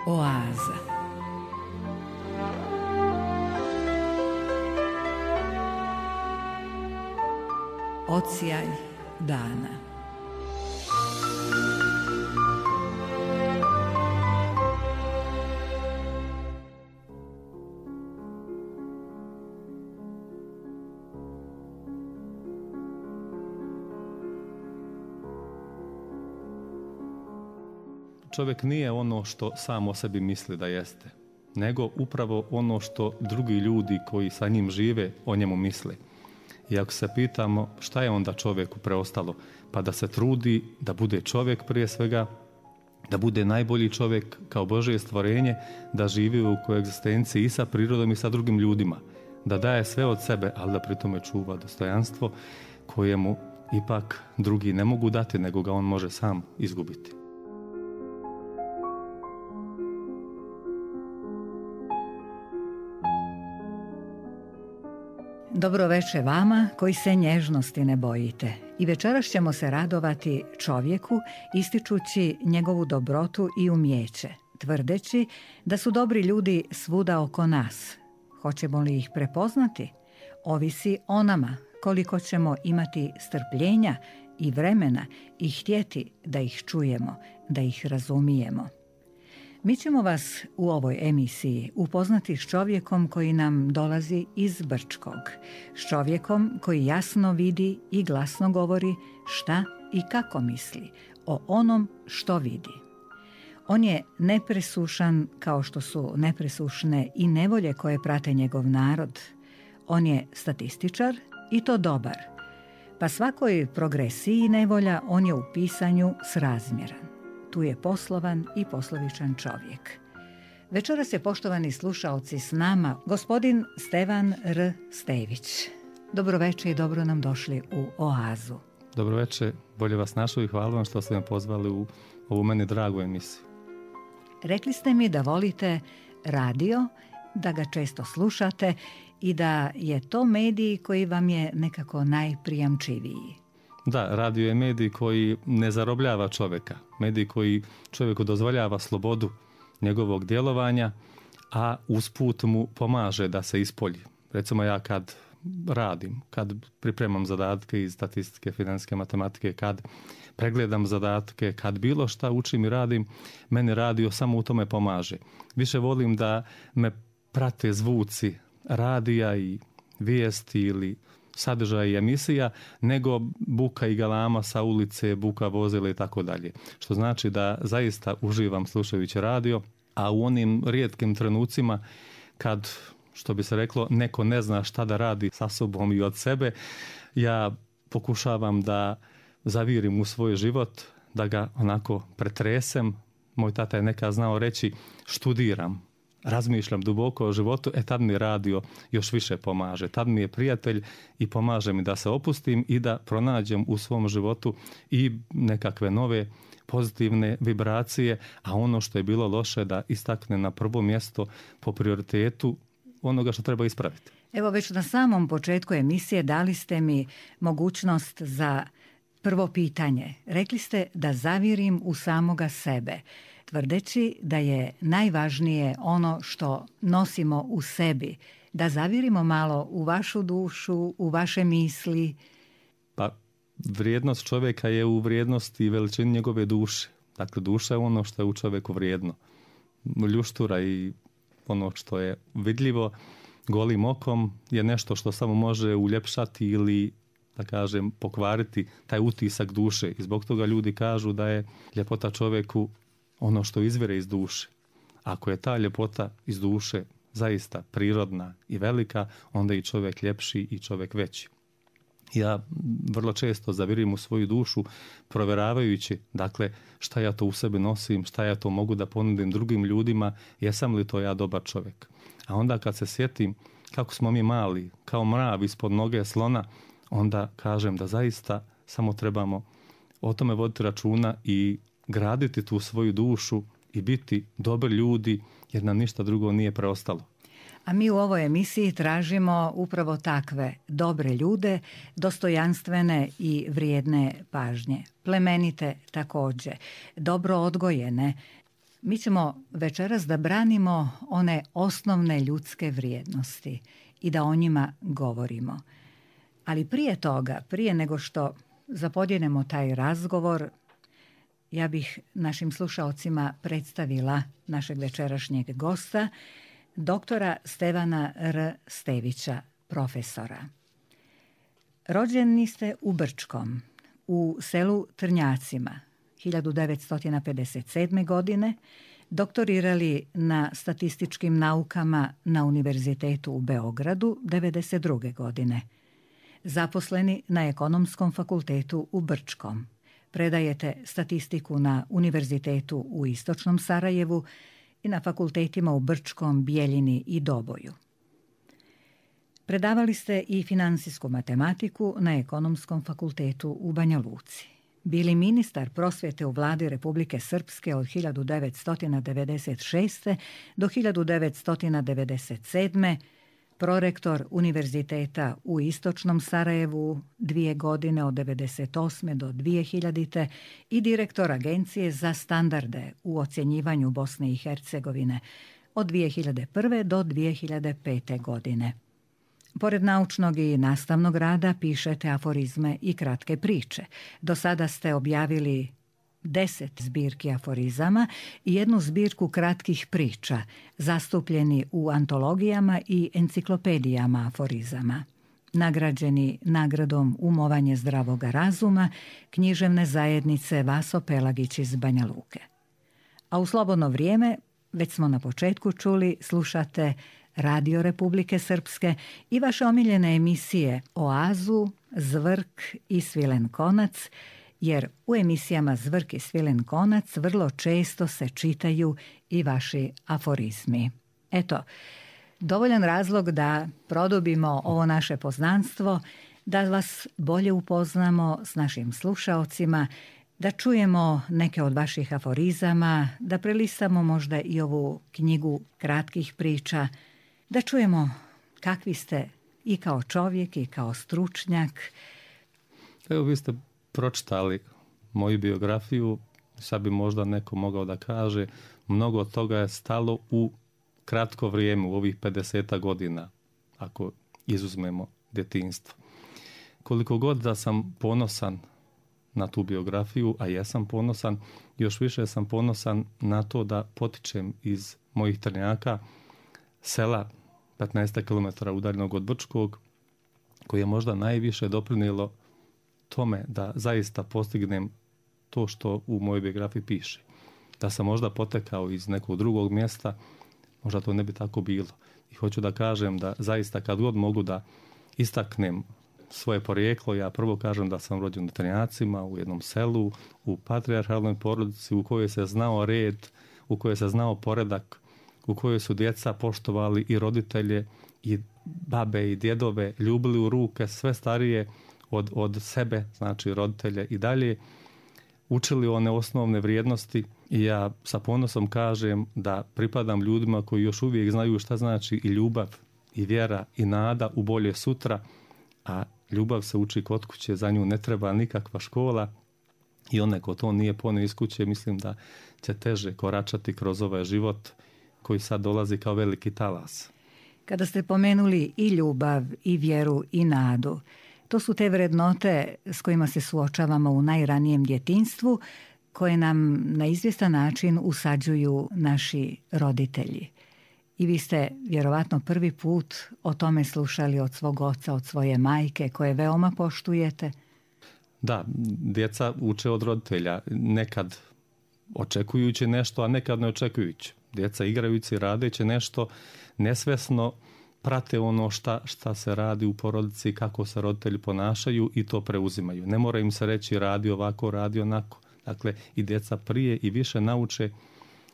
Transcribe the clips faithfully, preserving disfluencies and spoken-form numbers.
Oaza. Odsjaj dana. Čovjek nije ono što sam o sebi misli da jeste, nego upravo ono što drugi ljudi koji sa njim žive o njemu misle. I ako se pitamo šta je onda čovjeku preostalo, pa da se trudi da bude čovjek prije svega, da bude najbolji čovjek kao Božje stvorenje, da živi u koegzistenciji i sa prirodom i sa drugim ljudima, da daje sve od sebe, ali da pri tome čuva dostojanstvo kojemu ipak drugi ne mogu dati, nego ga on može sam izgubiti. Dobro veče vama koji se nježnosti ne bojite. I večeras ćemo se radovati čovjeku ističući njegovu dobrotu i umijeće, tvrdeći da su dobri ljudi svuda oko nas. Hoćemo li ih prepoznati? Ovisi o nama koliko ćemo imati strpljenja i vremena i htjeti da ih čujemo, da ih razumijemo. Mi ćemo vas u ovoj emisiji upoznati s čovjekom koji nam dolazi iz Brčkog, s čovjekom koji jasno vidi i glasno govori šta i kako misli o onom što vidi. On je nepresušan kao što su nepresušne i nevolje koje prate njegov narod. On je statističar i to dobar, pa svakoj progresiji nevolja on je u pisanju srazmjeran. Tu je poslovan i poslovičan čovjek. Večeras je, poštovani slušaoci, s nama gospodin Stevan R. Stević. Dobro večer i dobro nam došli u Oazu. Dobro večer, bolje vas našao i hvala vam što ste me pozvali u ovu meni dragu emisiju. Rekli ste mi da volite radio, da ga često slušate i da je to medij koji vam je nekako najprijamčiviji. Da, radio je medij koji ne zarobljava čovjeka, medij koji čovjeku dozvoljava slobodu njegovog djelovanja, a usput mu pomaže da se ispolji. Recimo ja kad radim, kad pripremam zadatke iz statistike, financijske matematike, kad pregledam zadatke, kad bilo šta učim i radim, meni radio samo u tome pomaže. Više volim da me prate zvuci radija i vijesti ili sadržaj i emisija, nego buka i galama sa ulice, buka vozila i tako dalje. Što znači da zaista uživam slušajući radio, a u onim rijetkim trenucima kad, što bi se reklo, neko ne zna šta da radi sa sobom i od sebe, ja pokušavam da zavirim u svoj život, da ga onako pretresem. Moj tata je nekad znao reći študiram, razmišljam duboko o životu, e tad mi radio još više pomaže. Tad mi je prijatelj i pomaže mi da se opustim i da pronađem u svom životu i nekakve nove pozitivne vibracije, a ono što je bilo loše da istakne na prvo mjesto po prioritetu onoga što treba ispraviti. Evo, već na samom početku emisije dali ste mi mogućnost za prvo pitanje. Rekli ste da zavirim u samoga sebe, tvrdeći da je najvažnije ono što nosimo u sebi, da zavirimo malo u vašu dušu, u vaše misli. Pa vrijednost čovjeka je u vrijednosti i veličini njegove duše. Dakle, duša je ono što je u čovjeku vrijedno. Ljuštura i ono što je vidljivo golim okom je nešto što samo može uljepšati ili, da kažem, pokvariti taj utisak duše. I zbog toga ljudi kažu da je ljepota čovjeku ono što izvire iz duše. Ako je ta ljepota iz duše zaista prirodna i velika, onda i čovjek ljepši i čovjek veći. Ja vrlo često zavirim u svoju dušu provjeravajući, dakle, šta ja to u sebi nosim, šta ja to mogu da ponudim drugim ljudima, jesam li to ja dobar čovjek. A onda kad se sjetim kako smo mi mali, kao mrav ispod noge slona, onda kažem da zaista samo trebamo o tome voditi računa i graditi tu svoju dušu i biti dobri ljudi, jer nam ništa drugo nije preostalo. A mi u ovoj emisiji tražimo upravo takve dobre ljude, dostojanstvene i vrijedne pažnje, plemenite također, dobro odgojene, Mi ćemo večeras da branimo one osnovne ljudske vrijednosti i da o njima govorimo. Ali prije toga, prije nego što zapodjenemo taj razgovor, ja bih našim slušaocima predstavila našeg večerašnjeg gosta, doktora Stevana R. Stevića, profesora. Rođeni ste u Brčkom, u selu Trnjacima, hiljadu devetsto pedeset sedme. godine, doktorirali na statističkim naukama na Univerzitetu u Beogradu devedeset druge. godine. Zaposleni na Ekonomskom fakultetu u Brčkom. Predajete statistiku na Univerzitetu u Istočnom Sarajevu i na fakultetima u Brčkom, Bijeljini i Doboju. Predavali ste i finansijsku matematiku na Ekonomskom fakultetu u Banja Luci. Bili ministar prosvjete u vladi Republike Srpske od hiljadu devetsto devedeset šeste. do hiljadu devetsto devedeset sedme. Prorektor Univerziteta u Istočnom Sarajevu dvije godine od devedeset osme. do dvije hiljadite. i direktor Agencije za standarde u ocjenjivanju Bosne i Hercegovine od dvije hiljade prve. do dvije hiljade pete. godine. Pored naučnog i nastavnog rada pišete aforizme i kratke priče. Do sada ste objavili deset zbirki aforizama i jednu zbirku kratkih priča, zastupljeni u antologijama i enciklopedijama aforizama. Nagrađeni nagradom Umovanje zdravoga razuma književne zajednice Vaso Pelagić iz Banja Luke. A u slobodno vrijeme, već smo na početku čuli, slušate Radio Republike Srpske i vaše omiljene emisije Oazu, Zvrk i Svilen konac, jer u emisijama Zvrk i Svilen konac vrlo često se čitaju i vaši aforizmi. Eto, dovoljan razlog da produbimo ovo naše poznanstvo, da vas bolje upoznamo s našim slušaocima, da čujemo neke od vaših aforizama, da prelistamo možda i ovu knjigu kratkih priča, da čujemo kakvi ste i kao čovjek i kao stručnjak. Evo, vi ste pročitali moju biografiju, sad bi možda neko mogao da kaže, mnogo od toga je stalo u kratko vrijeme, u ovih pedeset godina, ako izuzmemo djetinjstvo. Koliko god da sam ponosan na tu biografiju, a jesam ponosan, još više sam ponosan na to da potičem iz mojih Trnjaka, sela petnaest kilometara udaljenog od Brčkog, koje je možda najviše doprinijelo tome da zaista postignem to što u mojoj biografiji piše. Da sam možda potekao iz nekog drugog mjesta, možda to ne bi tako bilo. I hoću da kažem da zaista kad god mogu da istaknem svoje porijeklo, ja prvo kažem da sam rođen u Trnjacima, u jednom selu, u patrijarhalnoj porodici u kojoj se znao red, u kojoj se znao poredak, u kojoj su djeca poštovali i roditelje i babe i djedove, ljubili u ruke sve starije od, od sebe, znači roditelje i dalje, učili one osnovne vrijednosti i ja sa ponosom kažem da pripadam ljudima koji još uvijek znaju šta znači i ljubav, i vjera, i nada u bolje sutra, a ljubav se uči kod kuće, za nju ne treba nikakva škola i onaj ko to nije ponio iz kuće, mislim da će teže koračati kroz ovaj život koji sad dolazi kao veliki talas. Kada ste pomenuli i ljubav, i vjeru, i nadu, to su te vrednote s kojima se suočavamo u najranijem djetinjstvu, koje nam na izvjestan način usađuju naši roditelji. I vi ste vjerovatno prvi put o tome slušali od svog oca, od svoje majke, koje veoma poštujete. Da, djeca uče od roditelja, nekad očekujući nešto, a nekad ne očekujući. Djeca igrajući, radeći nešto, nesvjesno prate ono šta, šta se radi u porodici, kako se roditelji ponašaju i to preuzimaju. Ne mora im se reći radi ovako, radi onako. Dakle, i djeca prije i više nauče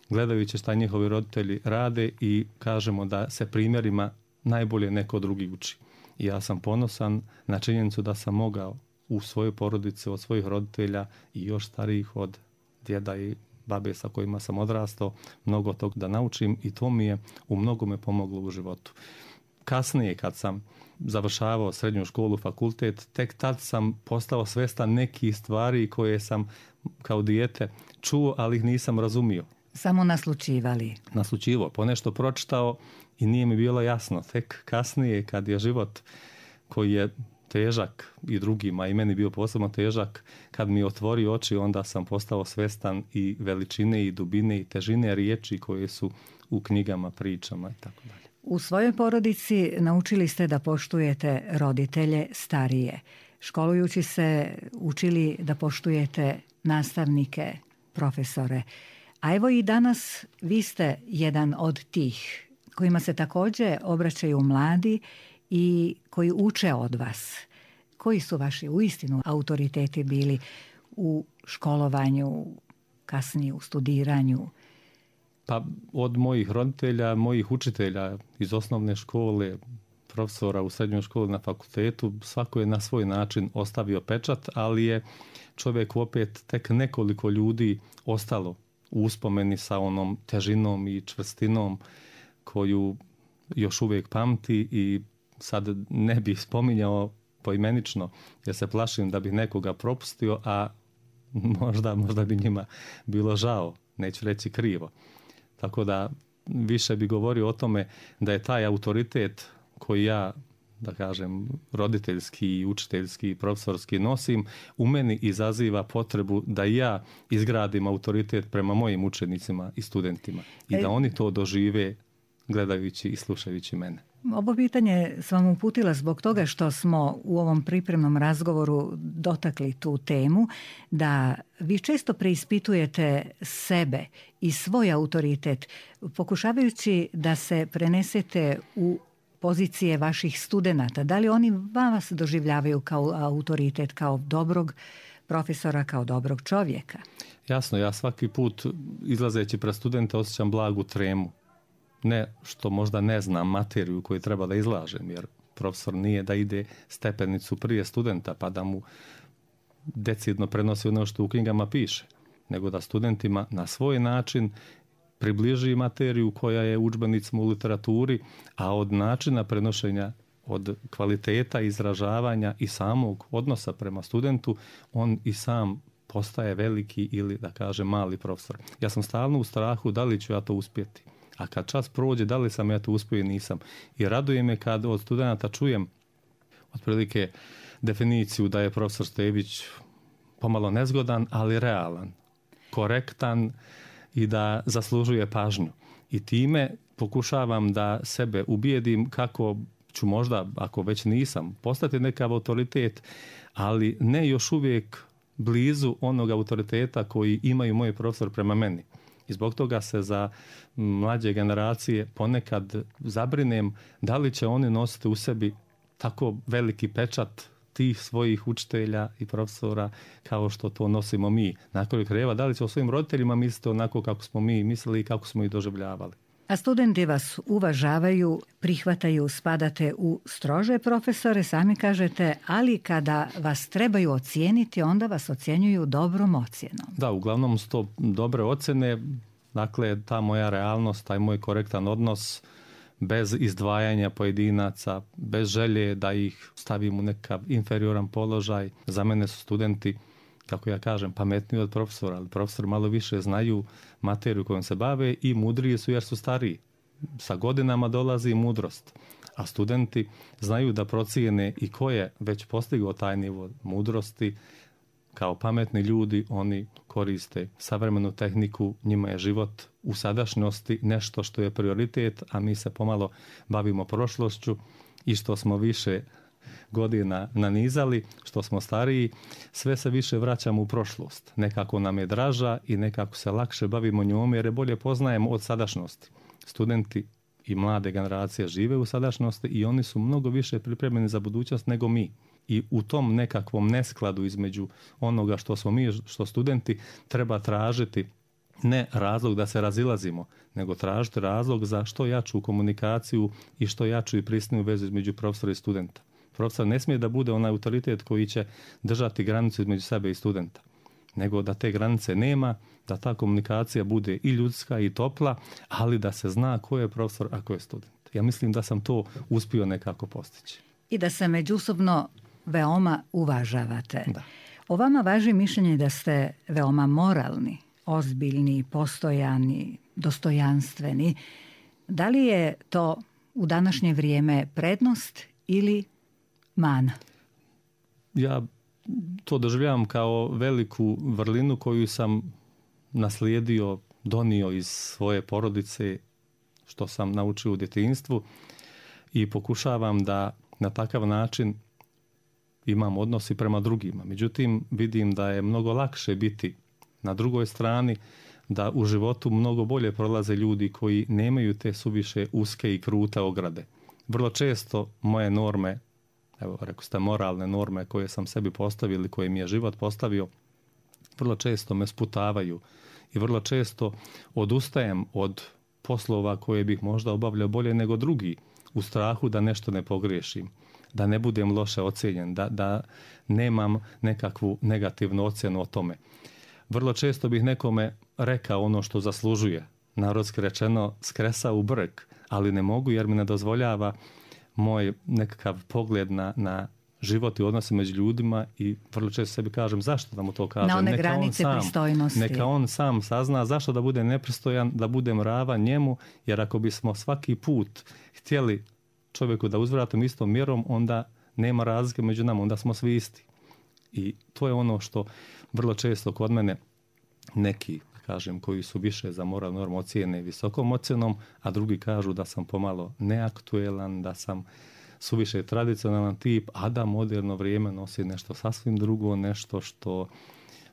gledajući šta njihovi roditelji rade i kažemo da se primjerima najbolje neko drugi uči. I ja sam ponosan na činjenicu da sam mogao u svojoj porodici od svojih roditelja i još starijih od djeda i babe sa kojima sam odrastao, mnogo tog da naučim i to mi je u mnogome pomoglo u životu. Kasnije kad sam završavao srednju školu, fakultet, tek tad sam postao svjestan nekih stvari koje sam kao dijete čuo, ali ih nisam razumio. Samo naslučivali. Naslučivo, ponešto pročitao i nije mi bilo jasno. Tek kasnije kad je život koji je težak i drugima i meni bio posebno težak, kad mi otvori oči, onda sam postao svestan i veličine i dubine i težine riječi koje su u knjigama, pričama i tako dalje. U svojoj porodici naučili ste da poštujete roditelje starije. Školujući se učili da poštujete nastavnike, profesore. A evo i danas vi ste jedan od tih kojima se također obraćaju mladi i koji uče od vas. Koji su vaši uistinu autoriteti bili u školovanju, kasnije u studiranju? Pa od mojih roditelja, mojih učitelja iz osnovne škole, profesora u srednjoj školi, na fakultetu, svako je na svoj način ostavio pečat, ali je čovjek opet tek nekoliko ljudi ostalo u uspomeni sa onom težinom i čvrstinom koju još uvijek pamti i sad ne bih spominjao poimenično jer se plašim da bih nekoga propustio, a možda, možda bi njima bilo žao, neću reći krivo. Tako da više bi govorio o tome da je taj autoritet koji ja, da kažem, roditeljski, učiteljski, profesorski nosim, u meni izaziva potrebu da ja izgradim autoritet prema mojim učenicima i studentima i da oni to dožive gledajući i slušajući mene. Ovo pitanje sam vam uputila zbog toga što smo u ovom pripremnom razgovoru dotakli tu temu, da vi često preispitujete sebe i svoj autoritet, pokušavajući da se prenesete u pozicije vaših studenata. Da li oni vas doživljavaju kao autoritet, kao dobrog profesora, kao dobrog čovjeka? Jasno, ja svaki put izlazeći pred studente osjećam blagu tremu. Ne što možda ne znam materiju koju treba da izlažem, jer profesor nije da ide stepenicu prije studenta pa da mu decidno prenosi ono što u knjigama piše, nego da studentima na svoj način približi materiju koja je u udžbenicima u literaturi, a od načina prenošenja, od kvaliteta izražavanja i samog odnosa prema studentu, on i sam postaje veliki ili, da kažem, mali profesor. Ja sam stalno u strahu da li ću ja to uspjeti. A kad čas prođe, da li sam ja to uspio i nisam. I raduje me kad od studenta čujem otprilike definiciju da je profesor Stević pomalo nezgodan, ali realan, korektan i da zaslužuje pažnju. I time pokušavam da sebe ubijedim kako ću možda, ako već nisam, postati nekav autoritet, ali ne još uvijek blizu onog autoriteta koji imaju moji profesor prema meni. I zbog toga se za mlađe generacije ponekad zabrinem da li će oni nositi u sebi tako veliki pečat tih svojih učitelja i profesora kao što to nosimo mi. Na kraju krajeva, da li će o svojim roditeljima misliti onako kako smo mi mislili i kako smo ih doživljavali. A studenti vas uvažavaju, prihvataju, spadate u strože profesore, sami kažete, ali kada vas trebaju ocijeniti, onda vas ocjenjuju dobrom ocjenom. Da, uglavnom su to dobre ocjene, dakle ta moja realnost, taj moj korektan odnos, bez izdvajanja pojedinaca, bez želje da ih stavim u nekav inferioran položaj. Za mene su studenti, kako ja kažem, pametniji od profesora, ali profesori malo više znaju materiju kojom se bave i mudriji su jer su stariji. Sa godinama dolazi mudrost, a studenti znaju da procijene i ko je već postigao taj nivo mudrosti. Kao pametni ljudi oni koriste savremenu tehniku, njima je život u sadašnjosti nešto što je prioritet, a mi se pomalo bavimo prošlošću i što smo više godina nanizali, što smo stariji, sve se više vraćamo u prošlost. Nekako nam je draža i nekako se lakše bavimo njome jer je bolje poznajemo od sadašnjosti. Studenti i mlade generacije žive u sadašnjosti i oni su mnogo više pripremljeni za budućnost nego mi. I u tom nekakvom neskladu između onoga što smo mi, što studenti, treba tražiti ne razlog da se razilazimo, nego tražiti razlog za što jaču komunikaciju i što jaču i prisniju vezu između profesora i studenta. Profesor ne smije da bude onaj autoritet koji će držati granicu između sebe i studenta, nego da te granice nema, da ta komunikacija bude i ljudska i topla, ali da se zna ko je profesor, a ko je student. Ja mislim da sam to uspio nekako postići. I da se međusobno veoma uvažavate. Da. O vama važi mišljenje da ste veoma moralni, ozbiljni, postojani, dostojanstveni. Da li je to u današnje vrijeme prednost ili mana? Ja to doživljavam kao veliku vrlinu koju sam naslijedio, donio iz svoje porodice, što sam naučio u djetinjstvu, i pokušavam da na takav način imam odnos i prema drugima. Međutim, vidim da je mnogo lakše biti na drugoj strani, da u životu mnogo bolje prolaze ljudi koji nemaju te suviše uske i krute ograde. Vrlo često moje norme, evo rekao ste moralne norme koje sam sebi postavio ili koje mi je život postavio, vrlo često me sputavaju i vrlo često odustajem od poslova koje bih možda obavljao bolje nego drugi, u strahu da nešto ne pogriješim, da ne budem loše ocijenjen, da, da nemam nekakvu negativnu ocjenu o tome. Vrlo često bih nekome rekao ono što zaslužuje, narodski rečeno skresa u brk, ali ne mogu jer mi ne dozvoljava moj nekakav pogled na, na život i odnose među ljudima, i vrlo često sebi kažem zašto da mu to kažem. Na one neka granice on sam, pristojnosti. Neka on sam sazna zašto da bude nepristojan, da budem ravan njemu, jer ako bismo svaki put htjeli čovjeku da uzvratimo istom mjerom, onda nema razlike među nama, onda smo svi isti. I to je ono što vrlo često kod mene neki, kažem, koji su više za moral normu ocijene visokom ocjenom, a drugi kažu da sam pomalo neaktuelan, da sam suviše tradicionalan tip, a da moderno vrijeme nosi nešto sasvim drugo, nešto što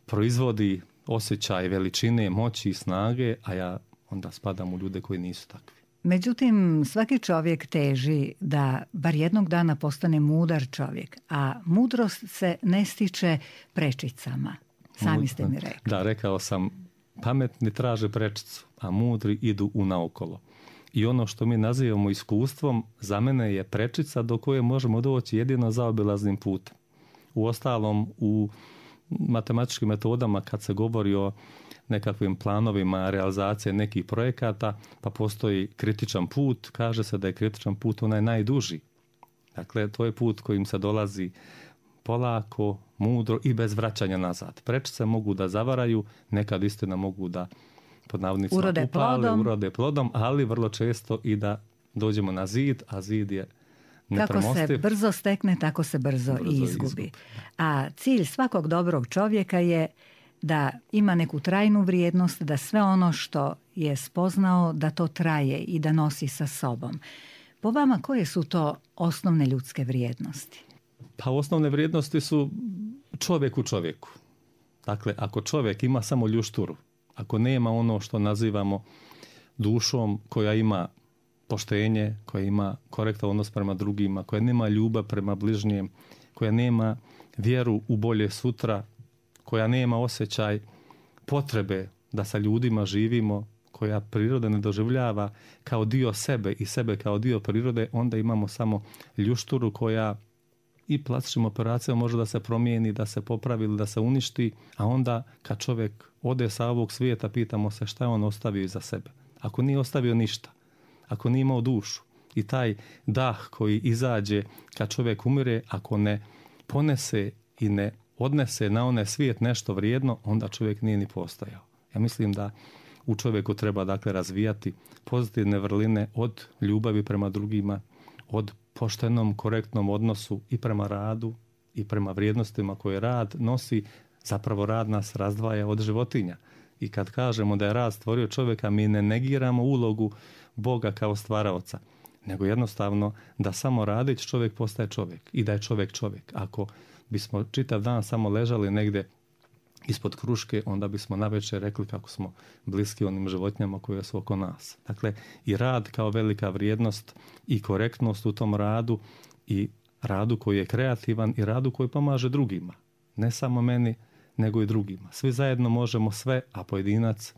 proizvodi osjećaj veličine, moći i snage, a ja onda spadam u ljude koji nisu takvi. Međutim, svaki čovjek teži da bar jednog dana postane mudar čovjek, a mudrost se ne stiče prečicama. Sami ste mi rekli. Da, rekao sam, pametni traže prečicu, a mudri idu unaokolo. I ono što mi nazivamo iskustvom, za mene je prečica do koje možemo doći jedino zaobilaznim putem. Uostalom, u matematičkim metodama kad se govori o nekakvim planovima realizacije nekih projekata, pa postoji kritičan put, kaže se da je kritičan put onaj najduži. Dakle, to je put kojim se dolazi polako, mudro i bez vraćanja nazad. Prečice mogu da zavaraju, nekad istina mogu da pod navodnicima urode upale, plodom. urode plodom, ali vrlo često i da dođemo na zid, a zid je nepremostiv. Kako se brzo stekne, tako se brzo, brzo i izgubi. izgubi. A cilj svakog dobrog čovjeka je da ima neku trajnu vrijednost, da sve ono što je spoznao, da to traje i da nosi sa sobom. Po vama, koje su to osnovne ljudske vrijednosti? Pa osnovne vrijednosti su čovjek u čovjeku. Dakle, ako čovjek ima samo ljušturu, ako nema ono što nazivamo dušom koja ima poštenje, koja ima korektan odnos prema drugima, koja nema ljubav prema bližnjem, koja nema vjeru u bolje sutra, koja nema osjećaj potrebe da sa ljudima živimo, koja priroda ne doživljava kao dio sebe i sebe kao dio prirode, onda imamo samo ljušturu koja i plastičnim operacijama može da se promijeni, da se popravi ili da se uništi, a onda kad čovjek ode sa ovog svijeta, pitamo se šta je on ostavio iza sebe. Ako nije ostavio ništa, ako nije imao dušu i taj dah koji izađe kad čovjek umire, ako ne ponese i ne odnese na onaj svijet nešto vrijedno, onda čovjek nije ni postojao. Ja mislim da u čovjeku treba dakle razvijati pozitivne vrline od ljubavi prema drugima, od poštenom, korektnom odnosu i prema radu i prema vrijednostima koje rad nosi. Zapravo rad nas razdvaja od životinja. I kad kažemo da je rad stvorio čovjeka, mi ne negiramo ulogu Boga kao stvaraoca, nego jednostavno da samo radeći čovjek postaje čovjek i da je čovjek čovjek. Ako bismo čitav dan samo ležali negdje ispod kruške, onda bismo navečer rekli kako smo bliski onim životinjama koje su oko nas. Dakle, i rad kao velika vrijednost i korektnost u tom radu i radu koji je kreativan i radu koji pomaže drugima. Ne samo meni, nego i drugima. Svi zajedno možemo sve, a pojedinac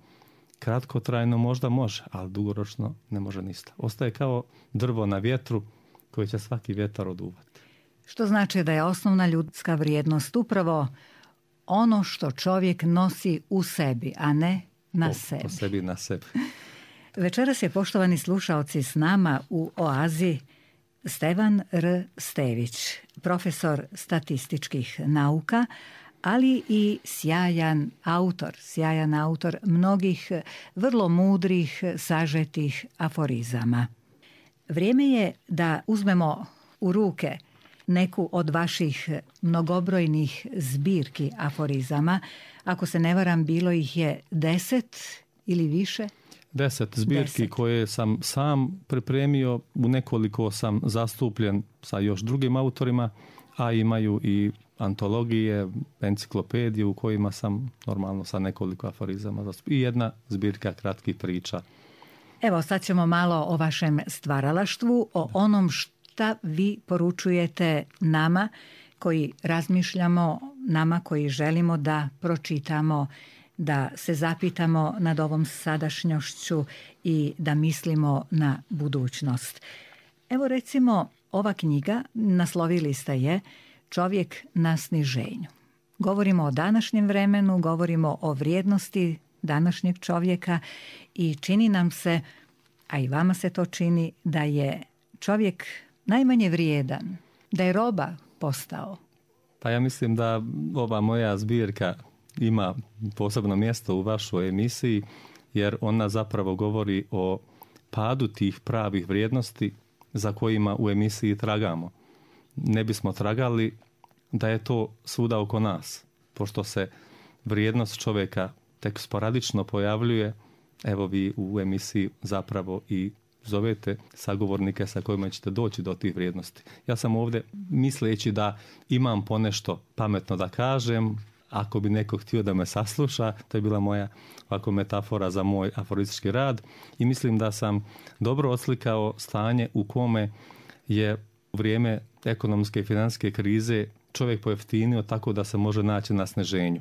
kratkotrajno možda može, ali dugoročno ne može ništa. Ostaje kao drvo na vjetru koje će svaki vjetar oduvati. Što znači da je osnovna ljudska vrijednost upravo ono što čovjek nosi u sebi, a ne na o, sebi. O sebi na sebi. Večeras je, poštovani slušaoci, s nama u Oazi Stevan R. Stević, profesor statističkih nauka, ali i sjajan autor, sjajan autor mnogih vrlo mudrih, sažetih aforizama. Vrijeme je da uzmemo u ruke neku od vaših mnogobrojnih zbirki aforizama. Ako se ne varam, bilo ih je deset ili više? Deset zbirki deset. Koje sam sam pripremio, u nekoliko sam zastupljen sa još drugim autorima, a imaju i antologije, enciklopedije u kojima sam normalno sa nekoliko aforizama zastupljen. I jedna zbirka kratkih priča. Evo, sad ćemo malo o vašem stvaralaštvu, o da. onom šta vi poručujete nama koji razmišljamo, nama koji želimo da pročitamo, da se zapitamo nad ovom sadašnjošću i da mislimo na budućnost. Evo recimo, ova knjiga, naslovili ste je Čovjek na sniženju. Govorimo o današnjem vremenu, govorimo o vrijednosti današnjeg čovjeka i čini nam se, a i vama se to čini, da je čovjek najmanje vrijedan, da je roba postao. Pa ja mislim da ova moja zbirka ima posebno mjesto u vašoj emisiji, jer ona zapravo govori o padu tih pravih vrijednosti za kojima u emisiji tragamo. Ne bismo tragali da je to svuda oko nas, pošto se vrijednost čovjeka tek sporadično pojavljuje. Evo vi u emisiji zapravo i zovete sagovornike sa kojima ćete doći do tih vrijednosti. Ja sam ovdje misleći da imam ponešto pametno da kažem, ako bi neko htio da me sasluša, to je bila moja ovako metafora za moj aforistički rad i mislim da sam dobro oslikao stanje u kome je u vrijeme ekonomske i financijske krize čovjek pojeftinio tako da se može naći na sniženju.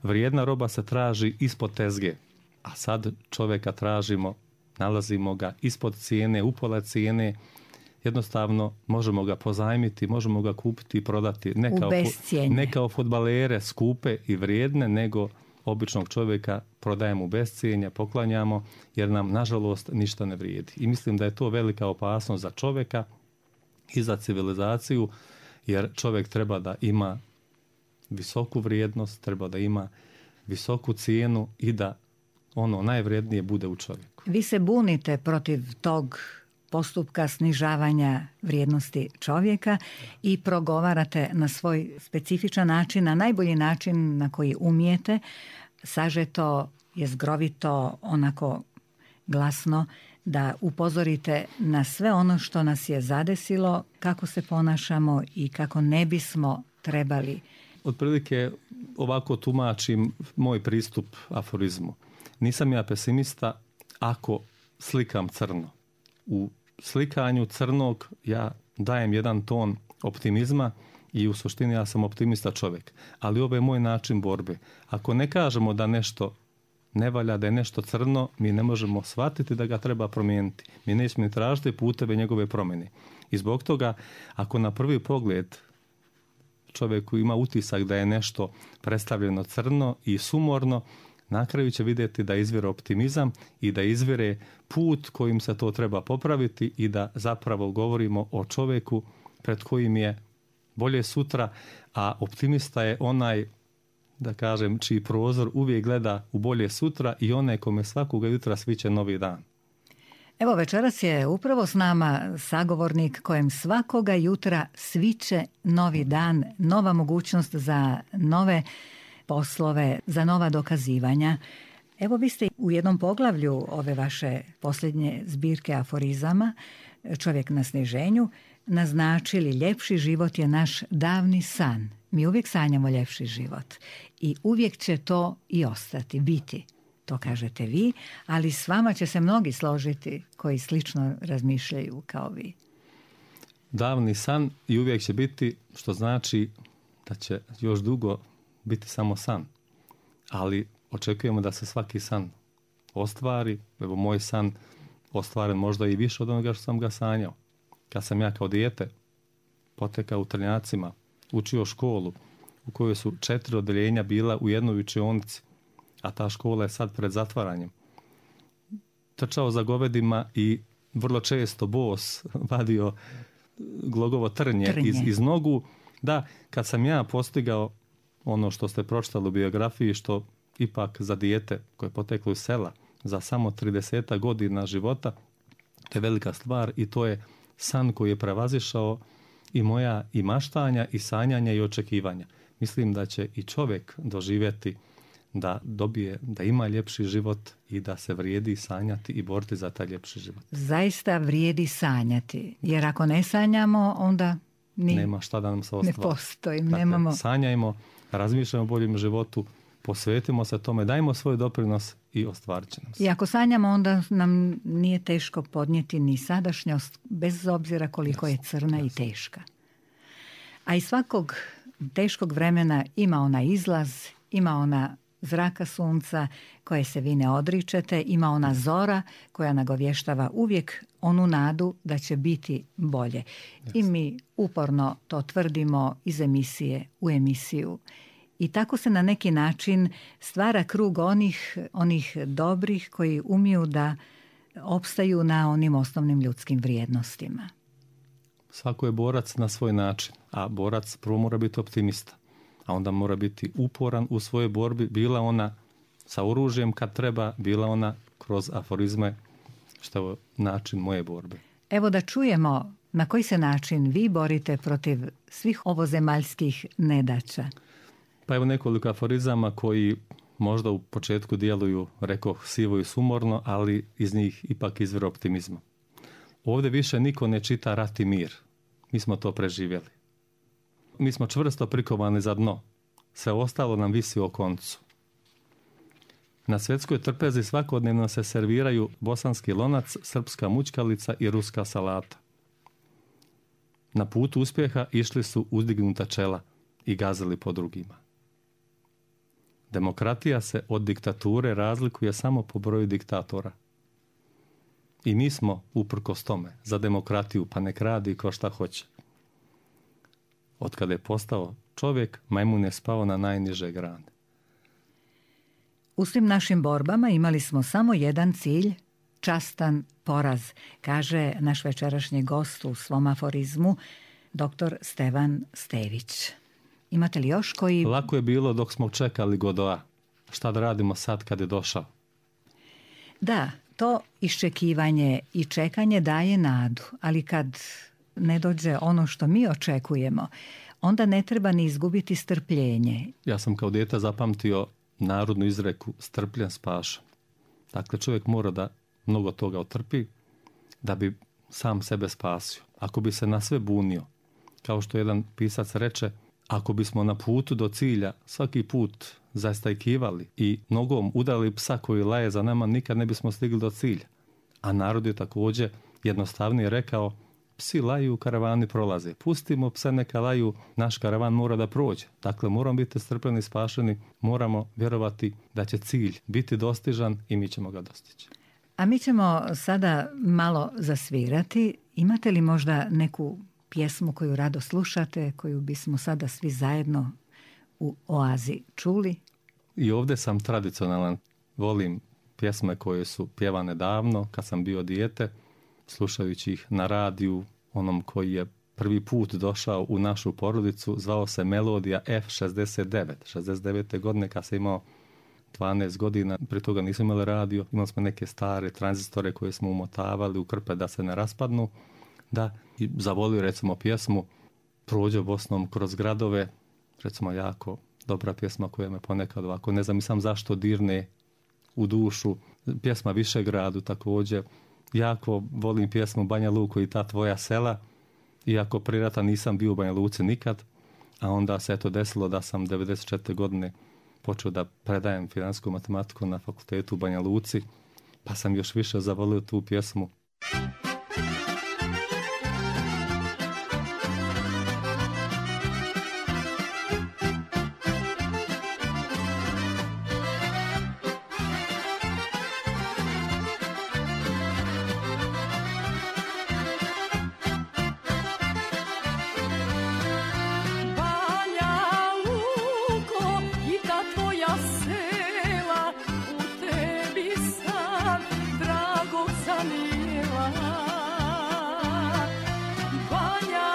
Vrijedna roba se traži ispod tezge, a sad čovjeka tražimo, nalazimo ga ispod cijene, upola cijene, jednostavno možemo ga pozajmiti, možemo ga kupiti i prodati. Ne kao, ne kao fudbalere skupe i vrijedne, nego običnog čovjeka prodajemo u bescijenje, poklanjamo, jer nam nažalost ništa ne vrijedi. I mislim da je to velika opasnost za čovjeka i za civilizaciju, jer čovjek treba da ima visoku vrijednost, treba da ima visoku cijenu i da ono najvrijednije bude u čovjeku. Vi se bunite protiv tog postupka snižavanja vrijednosti čovjeka i progovarate na svoj specifičan način, na najbolji način na koji umijete, sažeto, jezgrovito, onako glasno, da upozorite na sve ono što nas je zadesilo, kako se ponašamo i kako ne bismo trebali. Otprilike ovako tumačim moj pristup aforizmu. Nisam ja pesimista ako slikam crno. U slikanju crnog ja dajem jedan ton optimizma i u suštini ja sam optimista čovjek. Ali ovo je moj način borbe. Ako ne kažemo da nešto ne valja, da je nešto crno, mi ne možemo shvatiti da ga treba promijeniti. Mi nećemo ni tražiti puteve njegove promjene. I zbog toga, ako na prvi pogled čovjeku ima utisak da je nešto predstavljeno crno i sumorno, na kraju će vidjeti da izvire optimizam i da izvire put kojim se to treba popraviti i da zapravo govorimo o čovjeku pred kojim je bolje sutra, a optimista je onaj, da kažem, čiji prozor uvijek gleda u bolje sutra i onaj kome svakoga jutra sviće novi dan. Evo, večeras je upravo s nama sagovornik kojem svakoga jutra sviće novi dan, nova mogućnost za nove poslove, za nova dokazivanja. Evo, vi ste u jednom poglavlju ove vaše posljednje zbirke aforizama, Čovjek na sniženju, naznačili ljepši život je naš davni san. Mi uvijek sanjamo ljepši život i uvijek će to i ostati, biti. To kažete vi, ali s vama će se mnogi složiti koji slično razmišljaju kao vi. Davni san i uvijek će biti, što znači da će još dugo biti samo san. Ali očekujemo da se svaki san ostvari. Evo, moj san ostvaren možda i više od onoga što sam ga sanjao. Kad sam ja kao dijete potekao u Trnjacima, učio školu u kojoj su četiri odeljenja bila u jednoj učionici, a ta škola je sad pred zatvaranjem. Trčao za govedima i vrlo često bos vadio glogovo trnje, trnje. Iz, iz nogu. Da, kad sam ja postigao ono što ste pročitali u biografiji, što ipak za dijete koje je poteklo iz sela, za samo trideset godina života, to je velika stvar i to je san koji je prevazišao i moja i maštanja i sanjanja i očekivanja. Mislim da će i čovjek doživjeti da dobije, da ima ljepši život i da se vrijedi sanjati i boriti za taj ljepši život. Zaista vrijedi sanjati, jer ako ne sanjamo, onda ni, nema šta da nam se ostvari. Ne postoji. Dakle, nemamo... sanjajmo, razmišljamo o boljem životu, posvetimo se tome, dajmo svoj doprinos i ostvarit će nam se. I ako sanjamo, onda nam nije teško podnijeti ni sadašnjost, bez obzira koliko jasno, je crna jasno. i teška. A iz svakog teškog vremena ima ona izlaz, ima ona zraka sunca koje se vi ne odričete, ima ona zora koja nagovještava uvijek onu nadu da će biti bolje. Jasno. I mi uporno to tvrdimo iz emisije u emisiju. I tako se na neki način stvara krug onih, onih dobrih koji umiju da opstaju na onim osnovnim ljudskim vrijednostima. Svako je borac na svoj način, a borac prvo mora biti optimista, a onda mora biti uporan u svojoj borbi, bila ona sa oružjem kad treba, bila ona kroz aforizme, što je način moje borbe. Evo da čujemo na koji se način vi borite protiv svih ovozemaljskih nedaća. Pa evo nekoliko aforizama koji možda u početku djeluju, rekoh, sivo i sumorno, ali iz njih ipak izvire optimizma. Ovdje više niko ne čita rat i mir. Mi smo to preživjeli. Mi smo čvrsto prikovani za dno. Sve ostalo nam visi o koncu. Na svjetskoj trpezi svakodnevno se serviraju bosanski lonac, srpska mućkalica i ruska salata. Na putu uspjeha išli su uzdignuta čela i gazili po drugima. Demokratija se od diktature razlikuje samo po broju diktatora. I mi smo, uprkos tome, za demokratiju, pa nek radi ko šta hoće. Od kada je postao čovjek, majmun je spao na najniže grane. U svim našim borbama imali smo samo jedan cilj, častan poraz, kaže naš večerašnji gost u svom aforizmu, doktor Stevan Stević. Imate li još koji... Lako je bilo dok smo čekali Godoa. Šta da radimo sad kad je došao? Da, to iščekivanje i čekanje daje nadu, ali kad ne dođe ono što mi očekujemo, onda ne treba ni izgubiti strpljenje. Ja sam kao dijete zapamtio narodnu izreku strpljen spašen. Dakle, čovjek mora da mnogo toga otrpi da bi sam sebe spasio. Ako bi se na sve bunio, kao što jedan pisac reče, ako bismo na putu do cilja svaki put zastajkivali i nogom udali psa koji laje za nama, nikad ne bismo stigli do cilja. A narod je također jednostavnije rekao, psi laju, karavani prolaze. Pustimo pse neka laju, naš karavan mora da prođe. Dakle, moramo biti strpljeni i spašeni, moramo vjerovati da će cilj biti dostižan i mi ćemo ga dostići. A mi ćemo sada malo zasvirati. Imate li možda neku pjesmu koju rado slušate, koju bismo sada svi zajedno u Oazi čuli? I ovdje sam tradicionalan. Volim pjesme koje su pjevane davno, kad sam bio dijete, slušajući ih na radiju, onom koji je prvi put došao u našu porodicu, zvao se Melodija F šezdeset devet. šezdeset devete godine kad sam imao dvanaest godina, prije toga nismo imali radio, imali smo neke stare tranzistore koje smo umotavali u krpe da se ne raspadnu, da i zavolio recimo pjesmu Prođo Bosnom kroz gradove, recimo jako dobra pjesma koja me ponekad ovako, ne znam i sam zašto dirne u dušu, pjesma Višegradu također, jako volim pjesmu Banja Luko i ta tvoja sela, iako prije rata nisam bio u Banja Luci nikad, a onda se eto desilo da sam devedeset četvrte godine počeo da predajem financijsku matematiku na fakultetu u Banja Luci, pa sam još više zavolio tu pjesmu. Banja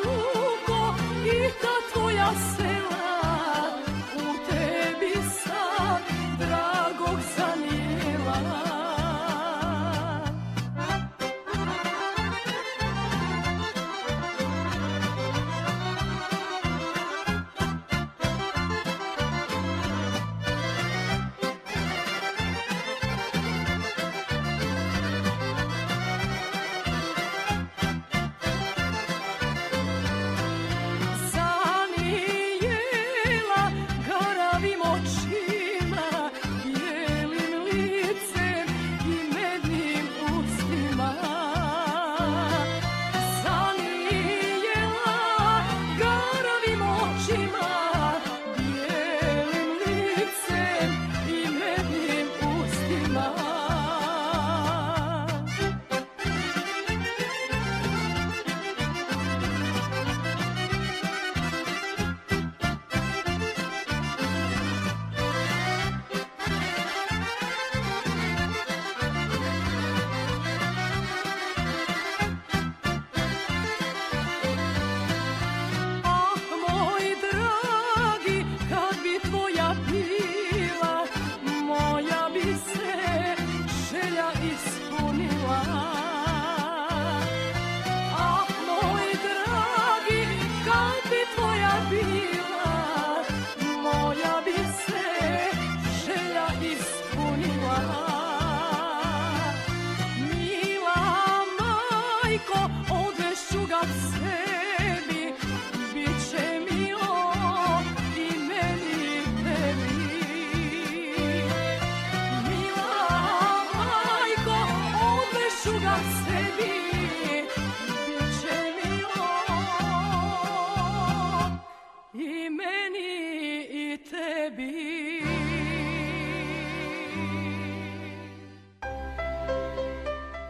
Luko i ta tvoja sela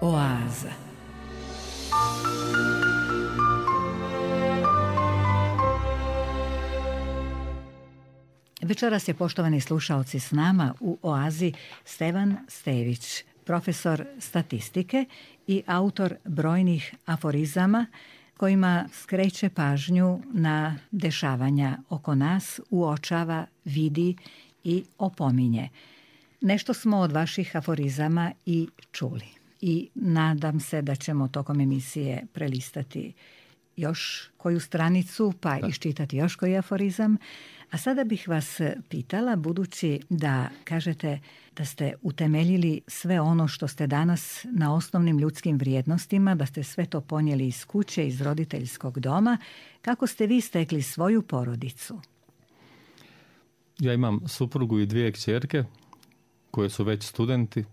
Oaza. Večeras je, poštovani slušaoci, s nama u Oazi Stevan Stević, profesor statistike i autor brojnih aforizama kojima skreće pažnju na dešavanja oko nas, uočava, vidi i opominje. Nešto smo od vaših aforizama i čuli i nadam se da ćemo tokom emisije prelistati još koju stranicu pa da. Iščitati još koji aforizam. A sada bih vas pitala, budući da kažete da ste utemeljili sve ono što ste danas na osnovnim ljudskim vrijednostima, da ste sve to ponijeli iz kuće, iz roditeljskog doma, kako ste vi stekli svoju porodicu? Ja imam suprugu i dvije kćerke koje su već studenti.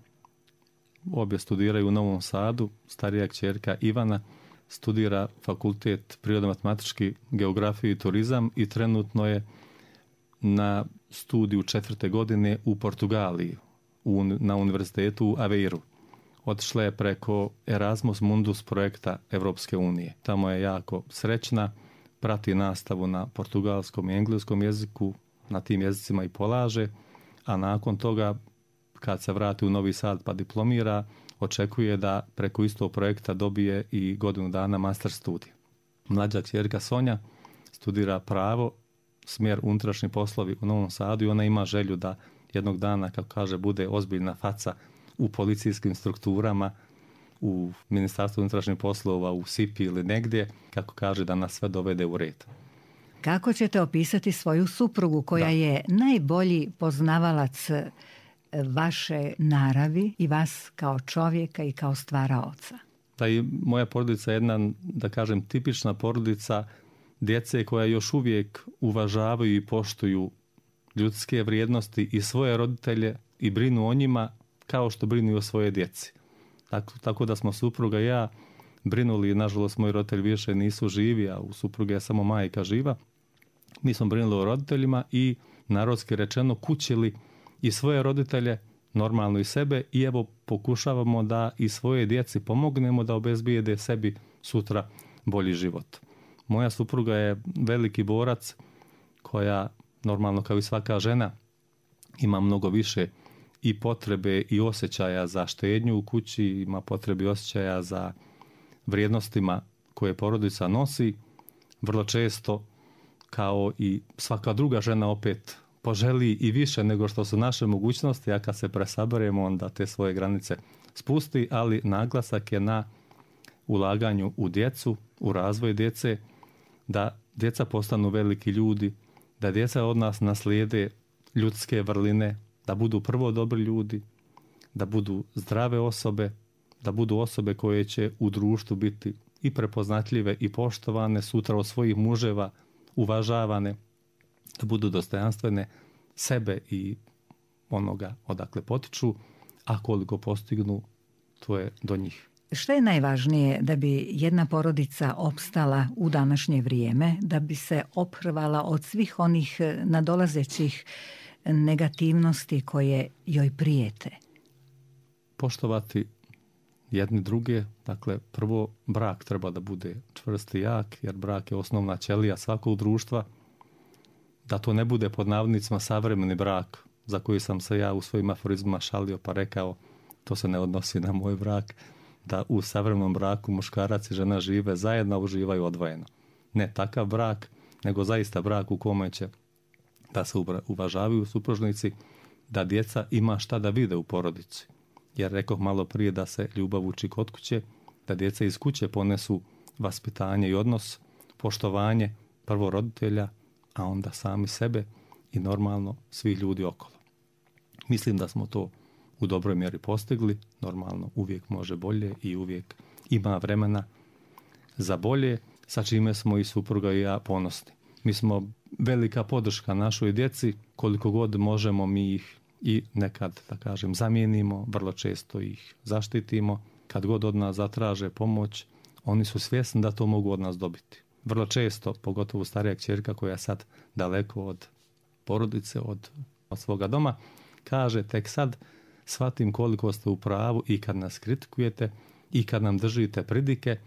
Obje studiraju u Novom Sadu. Starija kćerka Ivana studira fakultet prirodno-matematički, geografiju i turizam i trenutno je na studiju četvrte godine u Portugaliji, u, na univerzitetu u Aveiru. Otišla je preko Erasmus Mundus projekta Evropske unije. Tamo je jako srećna, prati nastavu na portugalskom i engleskom jeziku, na tim jezicima i polaže, a nakon toga, kad se vrati u Novi Sad pa diplomira, očekuje da preko istog projekta dobije i godinu dana master studij. Mlađa kćerka Sonja studira pravo, smjer unutrašnji poslovi u Novom Sadu i ona ima želju da jednog dana, kako kaže, bude ozbiljna faca u policijskim strukturama, u Ministarstvu unutrašnjih poslova, u S I P I ili negdje, kako kaže, da nas sve dovede u red. Kako ćete opisati svoju suprugu koja da. je najbolji poznavalac vaše naravi i vas kao čovjeka i kao stvaraoca? Da, i moja porodica je jedna, da kažem, tipična porodica djece koja još uvijek uvažavaju i poštuju ljudske vrijednosti i svoje roditelje i brinu o njima kao što brinu o svoje djeci. Tako, tako da smo supruga i ja brinuli, nažalost moji roditelji više nisu živi, a u supruge je samo majka živa. Mi smo brinuli o roditeljima i, narodski rečeno, kućili i svoje roditelje, normalno i sebe, i evo pokušavamo da i svoje djeci pomognemo da obezbijede sebi sutra bolji život. Moja supruga je veliki borac koja, normalno kao i svaka žena, ima mnogo više i potrebe i osjećaja za štednju u kući, ima potrebe i osjećaja za vrijednostima koje porodica nosi. Vrlo često, kao i svaka druga žena, opet poželi i više nego što su naše mogućnosti, a kad se presaberemo onda te svoje granice spusti, ali naglasak je na ulaganju u djecu, u razvoj djece, da djeca postanu veliki ljudi, da djeca od nas naslijede ljudske vrline, da budu prvo dobri ljudi, da budu zdrave osobe, da budu osobe koje će u društvu biti i prepoznatljive i poštovane, sutra od svojih muževa uvažavane, da budu dostojanstvene sebe i onoga odakle potiču, a koliko postignu, to je do njih. Što je najvažnije da bi jedna porodica opstala u današnje vrijeme, da bi se oprvala od svih onih nadolazećih negativnosti koje joj prijete? Poštovati jedni druge, dakle prvo brak treba da bude čvrst i jak, jer brak je osnovna ćelija svakog društva, da to ne bude pod navodnicima savremeni brak, za koji sam se ja u svojim aforizmima šalio pa rekao, to se ne odnosi na moj brak, da u savremenom braku muškarac i žena žive zajedno, uživaju odvojeno. Ne takav brak, nego zaista brak u kome će da se uvažavaju supružnici, da djeca ima šta da vide u porodici. Jer rekoh malo prije da se ljubav uči kod kuće, da djeca iz kuće ponesu vaspitanje i odnos, poštovanje prvo roditelja, a onda sami sebe i normalno svih ljudi okolo. Mislim da smo to u dobroj mjeri postigli, normalno uvijek može bolje i uvijek ima vremena za bolje, sa čime smo i supruga i ja ponosni. Mi smo velika podrška našoj djeci, koliko god možemo mi ih i nekad, da kažem, zamijenimo, vrlo često ih zaštitimo. Kad god od nas zatraže pomoć, oni su svjesni da to mogu od nas dobiti. Vrlo često, pogotovo starija kćerka koja je sad daleko od porodice, od, od svoga doma, kaže tek sad shvatim koliko ste u pravu i kad nas kritikujete i kad nam držite pridike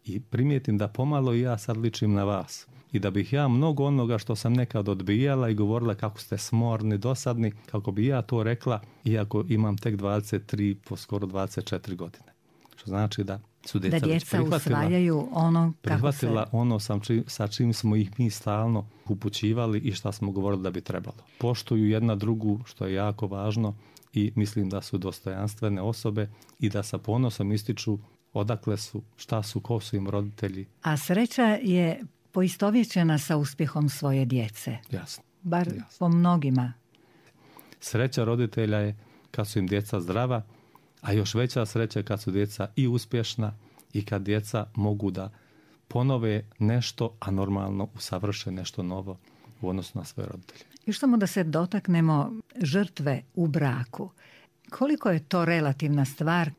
i primijetim da pomalo i ja sad ličim na vas. I da bih ja mnogo onoga što sam nekad odbijala i govorila kako ste smorni, dosadni, kako bi ja to rekla, iako imam tek dvadeset tri, po skoro dvadeset četiri godine. Što znači da su djeca, da djeca usvajaju ono kako prihvatila se... ono sam či, sa čim smo ih mi stalno upućivali i šta smo govorili da bi trebalo. Poštuju jedna drugu, što je jako važno, i mislim da su dostojanstvene osobe i da sa ponosom ističu odakle su, šta su, ko su im roditelji. A sreća je poistovjećena sa uspjehom svoje djece. Jasno. Bar jasno. po mnogima. Sreća roditelja je kad su im djeca zdrava, a još veća sreća je kad su djeca i uspješna i kad djeca mogu da ponove nešto, a normalno usavrše nešto novo u odnosu na svoje roditelje. Još samo da se dotaknemo žrtve u braku. Koliko je to relativna stvar?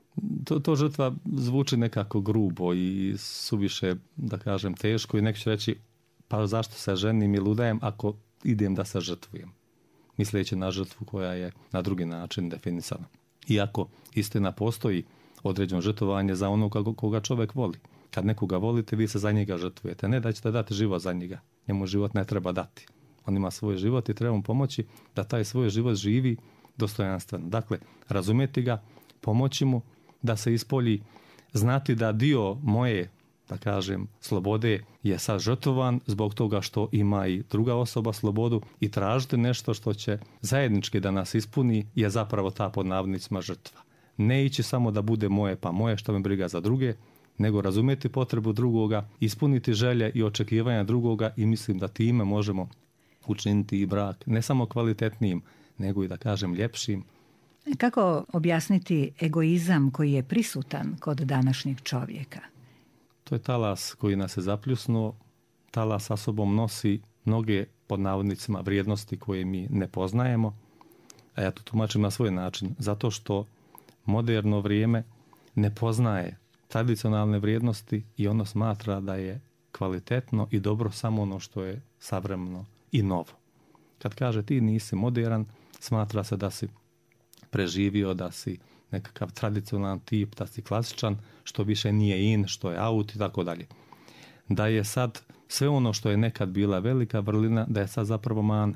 To, to žrtva zvuči nekako grubo i suviše, da kažem, teško i neko će reći pa zašto se ženim ili udajem ako idem da se žrtvujem, misleći na žrtvu koja je na drugi način definisana. Iako istina postoji određeno žrtvovanje za onog koga čovjek voli. Kad nekoga volite, vi se za njega žrtvujete. Ne da ćete dati život za njega. Njemu život ne treba dati. On ima svoj život i treba mu pomoći da taj svoj život živi dostojanstveno. Dakle, razumjeti ga, pomoći mu da se ispolji, znati da dio moje, da kažem, slobode je sad žrtvovan zbog toga što ima i druga osoba slobodu i tražiti nešto što će zajednički da nas ispuni je zapravo ta pod navodnicima žrtva. Ne ići samo da bude moje pa moje, što me briga za druge, nego razumjeti potrebu drugoga, ispuniti želje i očekivanja drugoga i mislim da time možemo učiniti i brak ne samo kvalitetnijim, nego i da kažem ljepšim. Kako objasniti egoizam koji je prisutan kod današnjeg čovjeka? To je talas koji nas je zapljusnuo. Talas sa sobom nosi mnoge pod navodnicima vrijednosti koje mi ne poznajemo. A ja to tumačim na svoj način. Zato što moderno vrijeme ne poznaje tradicionalne vrijednosti i ono smatra da je kvalitetno i dobro samo ono što je savremeno i novo. Kad kaže ti nisi modern, smatra se da si preživio, da si nekakav tradicionalan tip, da si klasičan, što više nije in, što je out i tako dalje. Da je sad sve ono što je nekad bila velika vrlina, da je sad zapravo man.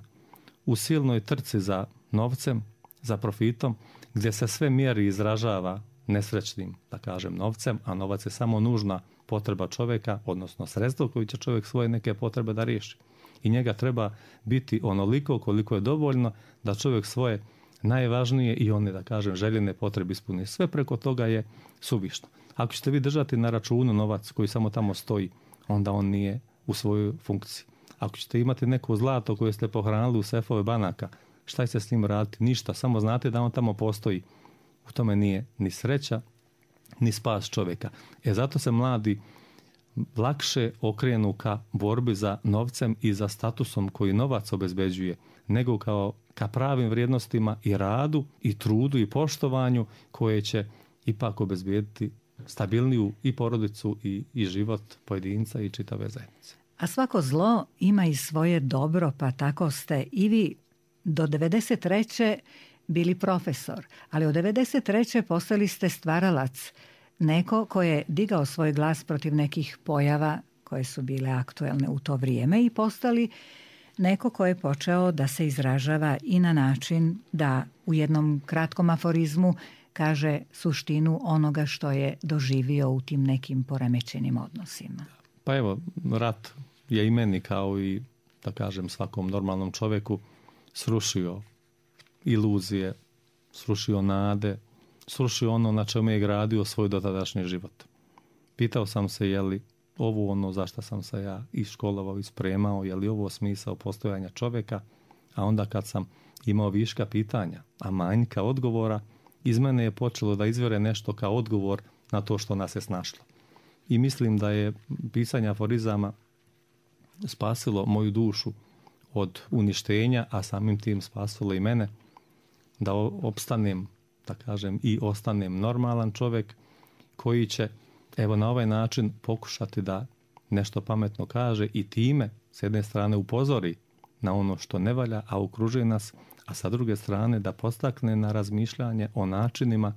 U silnoj trci za novcem, za profitom, gdje se sve mjeri izražava nesrećnim, da kažem, novcem, a novac je samo nužna potreba čovjeka, odnosno sredstvo koji će čovjek svoje neke potrebe da riješi. I njega treba biti onoliko koliko je dovoljno da čovjek svoje najvažnije i one, da kažem, željene potrebe ispuni. Sve preko toga je suvišno. Ako ćete vi držati na računu novac koji samo tamo stoji, onda on nije u svojoj funkciji. Ako ćete imati neko zlato koje ste pohranili u sefove banaka, šta će s njim raditi? Ništa, samo znate da on tamo postoji. U tome nije ni sreća, ni spas čovjeka. E zato se mladi lakše okrenu ka borbi za novcem i za statusom koji novac obezbeđuje, nego kao ka pravim vrijednostima i radu i trudu i poštovanju koje će ipak obezbijediti stabilniju i porodicu i, i život pojedinca i čitave zajednice. A svako zlo ima i svoje dobro, pa tako ste i vi do devedeset treće bili profesor, ali od devedeset treće postali ste stvaralac, neko ko je digao svoj glas protiv nekih pojava koje su bile aktuelne u to vrijeme i postali neko ko je počeo da se izražava i na način da u jednom kratkom aforizmu kaže suštinu onoga što je doživio u tim nekim poremećenim odnosima. Pa evo, rat je i meni kao i, da kažem, svakom normalnom čovjeku srušio iluzije, srušio nade, srušio ono na čemu je gradio svoj dotadašnji život. Pitao sam se je li ovo ono zašto sam se ja iškolovao i spremao, je li ovo smisao postojanja čovjeka, a onda kad sam imao viška pitanja, a manjka odgovora, iz mene je počelo da izvire nešto kao odgovor na to što nas je snašlo. I mislim da je pisanje aforizama spasilo moju dušu od uništenja, a samim tim spasilo i mene da opstanem, da kažem, i ostanem normalan čovjek koji će, evo, na ovaj način pokušati da nešto pametno kaže i time s jedne strane upozori na ono što ne valja, a okružuje nas, a sa druge strane da postakne na razmišljanje o načinima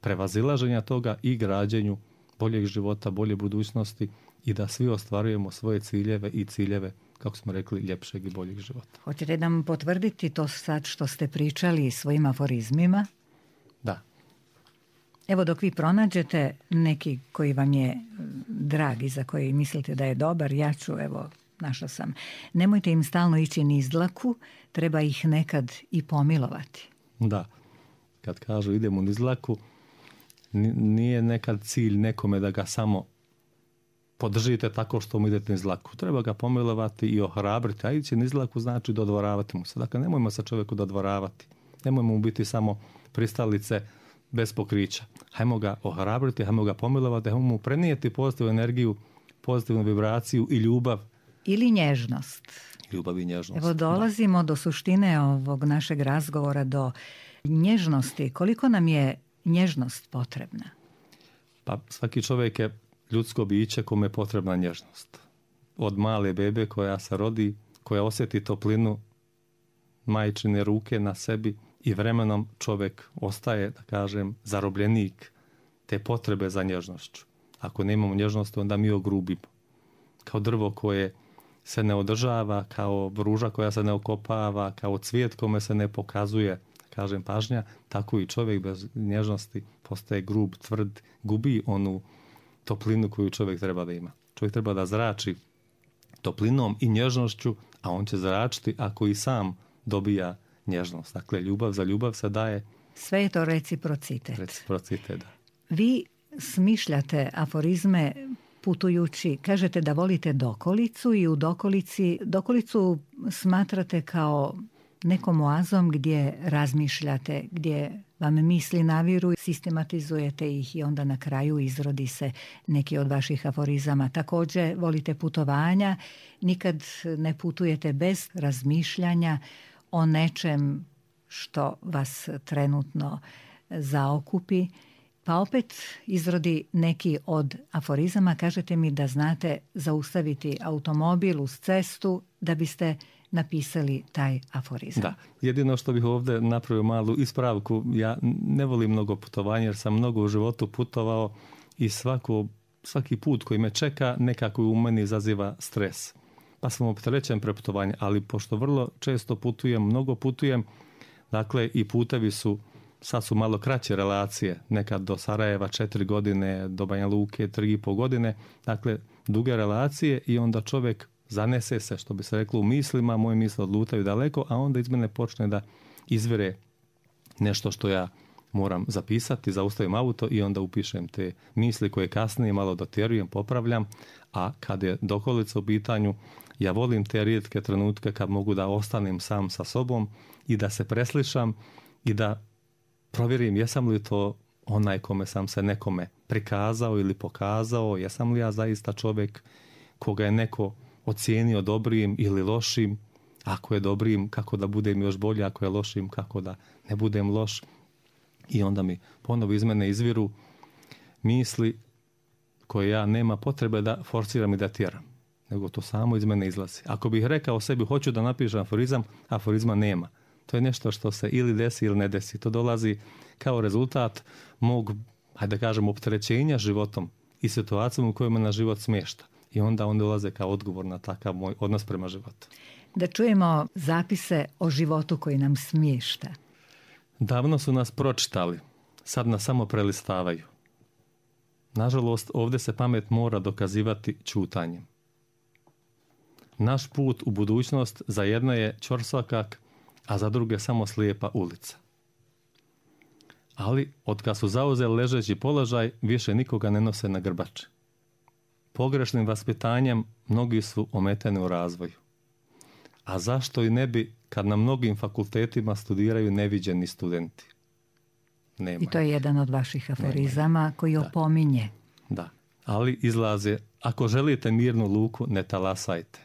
prevazilaženja toga i građenju boljeg života, bolje budućnosti i da svi ostvarujemo svoje ciljeve i ciljeve, kako smo rekli, ljepšeg i boljeg života. Hoćete nam potvrditi to sad što ste pričali svojim aforizmima? Da. Evo, dok vi pronađete neki koji vam je drag i za koji mislite da je dobar, ja ću, evo, našla sam. Nemojte im stalno ići niz dlaku, treba ih nekad i pomilovati. Da, kad kažu idemo niz dlaku, nije nekad cilj nekome da ga samo podržite tako što mu idete niz dlaku. Treba ga pomilovati i ohrabriti, a ići niz dlaku znači dodvoravati mu se. Dakle, nemojmo se čovjeku dodvoravati. Nemojmo mu biti samo pristalice bez pokrića. Hajmo ga ohrabriti, hajmo ga pomilovati, hajmo mu prenijeti pozitivnu energiju, pozitivnu vibraciju i ljubav. Ili nježnost. Ljubav i nježnost. Evo dolazimo da. do suštine ovog našeg razgovora, do nježnosti. Koliko nam je nježnost potrebna? Pa svaki čovjek je ljudsko biće kome je potrebna nježnost. Od male bebe koja se rodi, koja osjeti toplinu majčine ruke na sebi i vremenom čovjek ostaje, da kažem, zarobljenik te potrebe za nježnošću. Ako nemamo nježnosti, onda mi ogrubimo. Kao drvo koje se ne održava, kao ruža koja se ne okopava, kao cvijet kome se ne pokazuje, kažem, pažnja, tako i čovjek bez nježnosti postaje grub, tvrd, gubi onu toplinu koju čovjek treba da ima. Čovjek treba da zrači toplinom i nježnošću, a on će zračiti ako i sam dobija nježnost. Dakle, ljubav za ljubav se daje. Sve je to reciprocitet. Reciprocitet, da. Vi smišljate aforizme putujući, kažete da volite dokolicu i u dokolici, dokolicu smatrate kao nekom oazom gdje razmišljate, gdje vam misli naviru, sistematizujete ih i onda na kraju izrodi se neki od vaših aforizama. Također volite putovanja, nikad ne putujete bez razmišljanja o nečem što vas trenutno zaokupi. Pa opet izrodi neki od aforizama. Kažete mi da znate zaustaviti automobil uz cestu da biste napisali taj aforizam. Da, jedino što bih ovdje napravio malu ispravku, ja ne volim mnogo putovanja jer sam mnogo u životu putovao i svako, svaki put koji me čeka nekako u meni izaziva stres. Pa sam opterećen preputovanje, ali pošto vrlo često putujem, mnogo putujem, dakle i putevi su, sad su malo kraće relacije, nekad do Sarajeva četiri godine, do Banja Luke tri i pol godine, dakle duge relacije i onda čovjek zanese se, što bi se reklo, u mislima, moje misle odlutaju daleko, a onda iz mene počne da izvire nešto što ja moram zapisati, zaustavim auto i onda upišem te misli koje kasnije malo dotjerujem, popravljam, a kad je dokolica u pitanju, ja volim te rijetke trenutke kad mogu da ostanem sam sa sobom i da se preslišam i da provjerim jesam li to onaj kome sam se nekome prikazao ili pokazao, jesam li ja zaista čovjek koga je neko ocijenio dobrim ili lošim, ako je dobrim kako da budem još bolje, ako je lošim kako da ne budem loš. I onda mi ponovo iz mene izviru misli koje ja nema potrebe da forciram i da tjeram, nego to samo iz mene izlazi. Ako bih rekao sebi hoću da napišem aforizam, aforizma nema. To je nešto što se ili desi ili ne desi. To dolazi kao rezultat mog, hajde da kažem, opterećenja životom i situacijom u kojoj me na život smješta. I onda on dolaze kao odgovor na takav moj odnos prema životu. Da čujemo zapise o životu koji nam smješta. Davno su nas pročitali, sad nas samo prelistavaju. Nažalost, ovdje se pamet mora dokazivati ćutanjem. Naš put u budućnost za jedne je ćorsokak, a za druge samo slijepa ulica. Ali, otkad su zauzeli ležeći položaj, više nikoga ne nose na grbači. Pogrešnim vaspitanjem mnogi su ometeni u razvoju. A zašto i ne bi kad na mnogim fakultetima studiraju neviđeni studenti? Nema. I to je jedan od vaših aforizama Nema. koji opominje. Da, ali izlaze, ako želite mirnu luku, ne talasajte.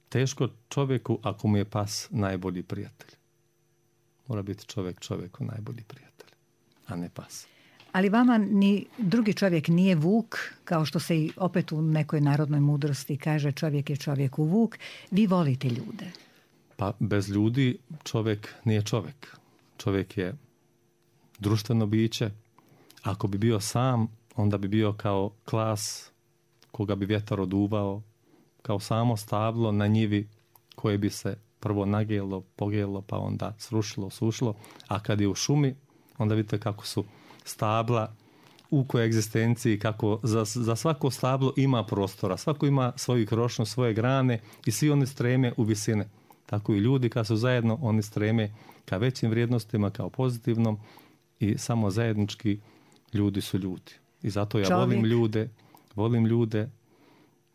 Teško čovjeku ako mu je pas najbolji prijatelj. Mora biti čovjek čovjeku najbolji prijatelj, a ne pas. Ali vama ni drugi čovjek nije vuk, kao što se i opet u nekoj narodnoj mudrosti kaže čovjek je čovjeku vuk. Vi volite ljude. Pa bez ljudi čovjek nije čovjek. Čovjek je društveno biće. Ako bi bio sam, onda bi bio kao klas koga bi vjetar oduvao, kao samo stablo na njivi koje bi se prvo nagijelo, pogijelo, pa onda srušilo, sušilo, a kad je u šumi, onda vidite kako su stabla u koegzistenciji, kako za, za svako stablo ima prostora, svako ima svoju krošnju, svoje grane i svi oni streme u visine. Tako i ljudi kad su zajedno, oni streme ka većim vrijednostima, kao pozitivnom i samo zajednički ljudi su ljudi. I zato ja Čovjek. volim ljude, volim ljude,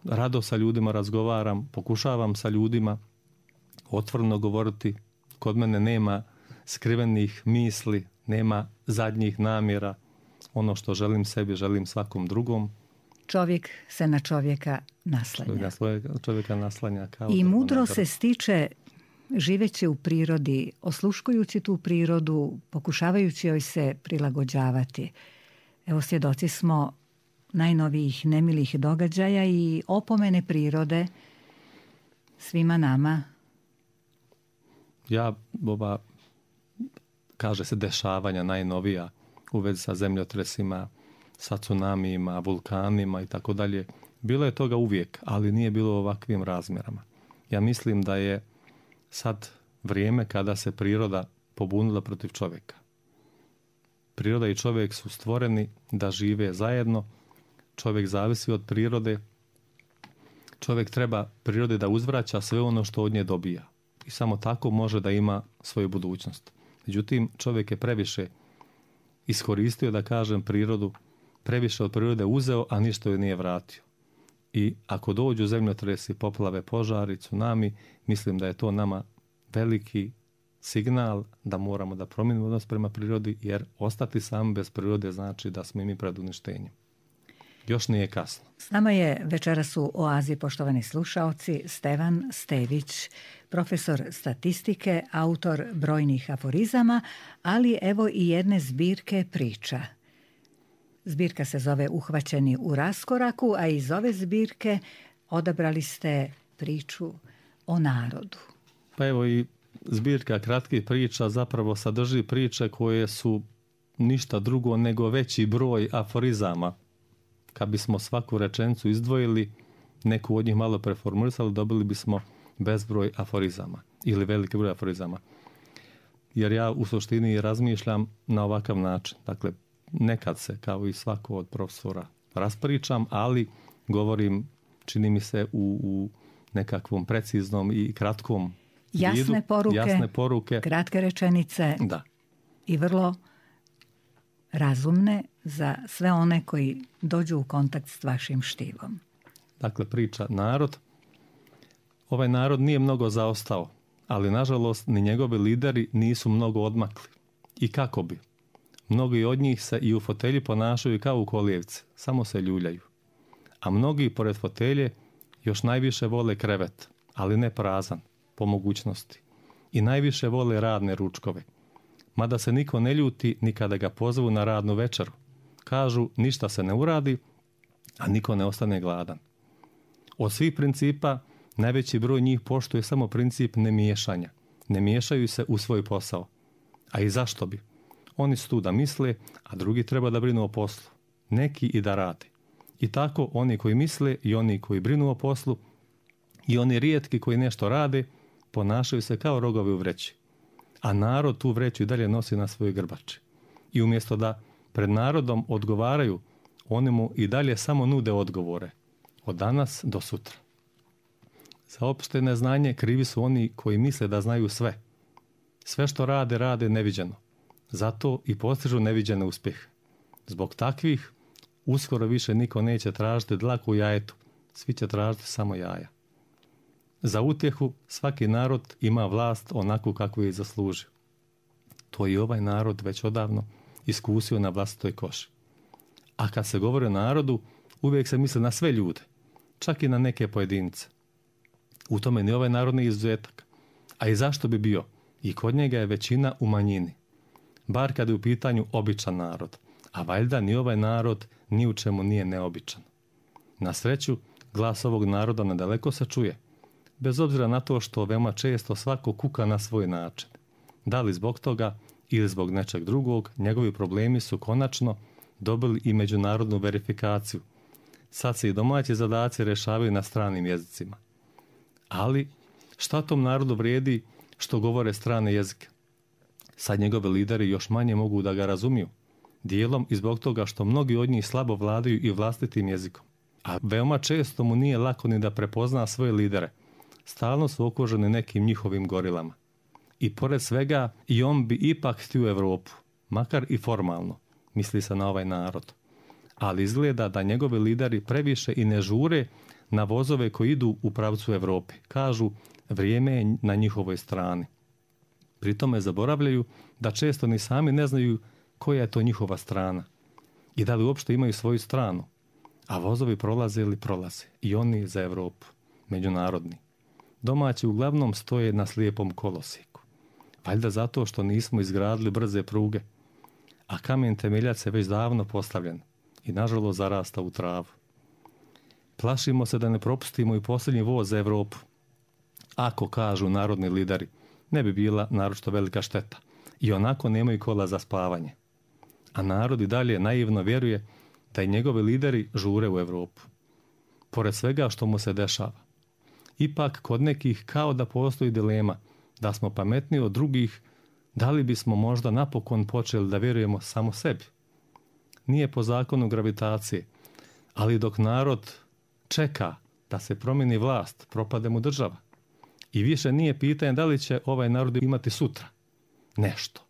rado sa ljudima razgovaram, pokušavam sa ljudima otvoreno govoriti. Kod mene nema skrivenih misli, nema zadnjih namjera. Ono što želim sebi, želim svakom drugom. Čovjek se na čovjeka naslanja. Čovjeka, čovjeka naslanja kao I mudro drvo. se stiče živeći u prirodi, osluškujući tu prirodu, pokušavajući joj se prilagođavati. Evo, svjedoci smo najnovijih nemilih događaja i opomene prirode svima nama. Ja, ova, kaže se, dešavanja najnovija u vezi sa zemljotresima, sa tsunamijima, vulkanima i tako dalje. Bilo je toga uvijek, ali nije bilo u ovakvim razmjerama. Ja mislim da je sad vrijeme kada se priroda pobunila protiv čovjeka. Priroda i čovjek su stvoreni da žive zajedno. Čovjek zavisi od prirode. Čovjek treba prirode da uzvraća sve ono što od nje dobija. I samo tako može da ima svoju budućnost. Međutim, čovjek je previše iskoristio, da kažem, prirodu, previše od prirode uzeo, a ništa joj nije vratio. I ako dođu zemljotresi, poplave, požari, tsunami, mislim da je to nama veliki signal da moramo da promijenimo odnos prema prirodi, jer ostati sami bez prirode znači da smo i mi pred uništenjem. Još nije kasno. S nama je večeras u Oazi, poštovani slušaoci, Stevan Stević, profesor statistike, autor brojnih aforizama, ali evo i jedne zbirke priča. Zbirka se zove Uhvaćeni u raskoraku, a iz ove zbirke odabrali ste priču o narodu. Pa evo i zbirka kratkih priča zapravo sadrži priče koje su ništa drugo nego veći broj aforizama. Kad bismo svaku rečenicu izdvojili, neku od njih malo preformulisali, dobili bismo bezbroj aforizama ili veliki broj aforizama. Jer ja u suštini razmišljam na ovakav način. Dakle, nekad se, kao i svako od profesora, raspričam, ali govorim, čini mi se, u, u nekakvom preciznom i kratkom jasne vidu. Poruke, jasne poruke, kratke rečenice da. I vrlo razumne za sve one koji dođu u kontakt s vašim štivom. Dakle, priča narod. Ovaj narod nije mnogo zaostao, ali nažalost ni njegovi lideri nisu mnogo odmakli. I kako bi? Mnogi od njih se i u fotelji ponašaju kao u kolijevci, samo se ljuljaju. A mnogi pored fotelje još najviše vole krevet, ali ne prazan, po mogućnosti. I najviše vole radne ručkove. Mada se niko ne ljuti ni kada ga pozvu na radnu večeru. Kažu, ništa se ne uradi, a niko ne ostane gladan. Od svih principa najveći broj njih poštuje samo princip nemiješanja. Ne miješaju se u svoj posao. A i zašto bi? Oni su tu da misle, a drugi treba da brinu o poslu. Neki i da rade. I tako oni koji misle i oni koji brinu o poslu i oni rijetki koji nešto rade ponašaju se kao rogovi u vreći. A narod tu vreću i dalje nosi na svojoj grbači. I umjesto da pred narodom odgovaraju, oni mu i dalje samo nude odgovore. Od danas do sutra. Za opšte neznanje krivi su oni koji misle da znaju sve. Sve što rade, rade neviđeno. Zato i postižu neviđene uspjehe. Zbog takvih uskoro više niko neće tražiti dlaku u jajetu. Svi će tražiti samo jaja. Za utjehu svaki narod ima vlast onako kako je zaslužio. To i ovaj narod već odavno iskusio na vlastitoj koži. A kad se govori o narodu, uvijek se misli na sve ljude, čak i na neke pojedince. U tome ni ovaj narod nije izuzetak. A i zašto bi bio? I kod njega je većina u manjini. Bar kad je u pitanju običan narod. A valjda ni ovaj narod ni u čemu nije neobičan. Na sreću, glas ovog naroda nadaleko se čuje. Bez obzira na to što veoma često svako kuka na svoj način. Da li zbog toga ili zbog nečeg drugog, njegovi problemi su konačno dobili i međunarodnu verifikaciju. Sad se i domaći zadaci rješavaju na stranim jezicima. Ali šta tom narodu vrijedi što govore strane jezike? Sad njegovi lideri još manje mogu da ga razumiju. Dijelom i zbog toga što mnogi od njih slabo vladaju i vlastitim jezikom. A veoma često mu nije lako ni da prepozna svoje lidere. Stalno su okruženi nekim njihovim gorilama. I pored svega i on bi ipak htio Europu, makar i formalno, misli se na ovaj narod. Ali izgleda da njegovi lideri previše i ne žure na vozove koji idu u pravcu Europe. Kažu, vrijeme je na njihovoj strani. Pri tome zaboravljaju da često ni sami ne znaju koja je to njihova strana i da li uopšte imaju svoju stranu. A vozovi prolaze ili prolaze, i oni za Europu, međunarodni. Domaći uglavnom stoje na slijepom kolosijeku. Valjda zato što nismo izgradili brze pruge, a kamen temeljac je već davno postavljen i nažalost zarasta u travu. Plašimo se da ne propustimo i posljednji voz za Europu. Ako, kažu narodni lideri, ne bi bila naročito velika šteta. I onako nemaju kola za spavanje. A narod i dalje naivno vjeruje da i njegovi lideri žure u Europu. Pored svega što mu se dešava. Ipak kod nekih kao da postoji dilema da smo pametniji od drugih, da li bismo možda napokon počeli da vjerujemo samo sebi. Nije po zakonu gravitacije, ali dok narod čeka da se promijeni vlast, propade mu država. I više nije pitanje da li će ovaj narod imati sutra nešto,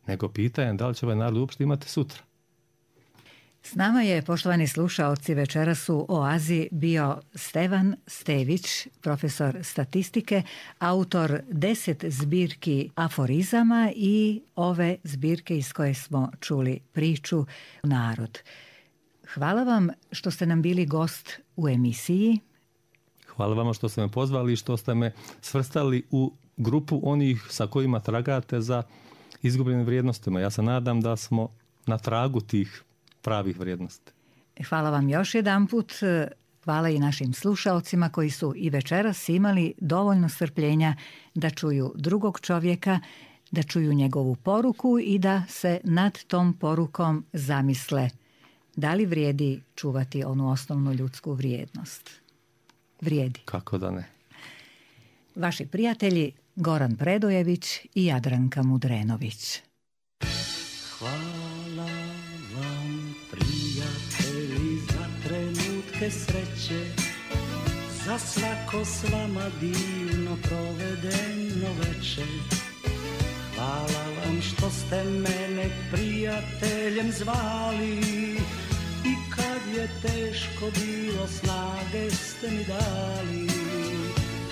nego pitanje da li će ovaj narod uopšte imati sutra. S nama je, poštovani slušaoci, večeras u Oazi bio Stevan Stević, profesor statistike, autor deset zbirki aforizama i ove zbirke iz koje smo čuli priču Narod. Hvala vam što ste nam bili gost u emisiji. Hvala vama što ste me pozvali i što ste me svrstali u grupu onih sa kojima tragate za izgubljenim vrijednostima. Ja se nadam da smo na tragu tih pravih vrijednosti. Hvala vam još jedanput. Hvala i našim slušaocima koji su i večeras imali dovoljno strpljenja da čuju drugog čovjeka, da čuju njegovu poruku i da se nad tom porukom zamisle da li vrijedi čuvati onu osnovnu ljudsku vrijednost. Vrijedi. Kako da ne. Vaši prijatelji Goran Predojević i Jadranka Mudrenović. Hvala vam, prijatelji, za trenutke sreće, za svako s vama divno provedeno večer. Hvala vam što ste mene prijateljem zvali i kad je teško bilo snage ste mi dali.